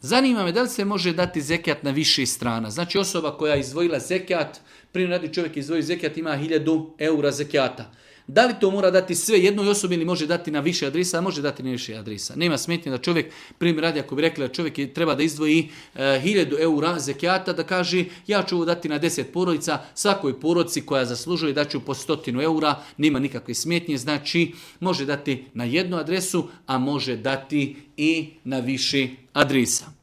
Zanima me da li se može dati zekijat na više strana. Znači osoba koja je izdvojila zekijat, primjer radi čovjek izdvoji zekijat, ima 1000 eura zekijata. Da li to mora dati sve jednoj osobi ili može dati na više adresa? Može dati na više adresa. Nema smetnje da čovjek, primjer radi, ako bi rekli da čovjek treba da izdvoji 1000 eura zekijata, da kaže ja ću ovo dati na 10 porodica, svakoj porodici koja zaslužuje da ću po 100 eura, nema nikakve smetnje, znači može dati na jednu adresu, a može dati i na više adresa.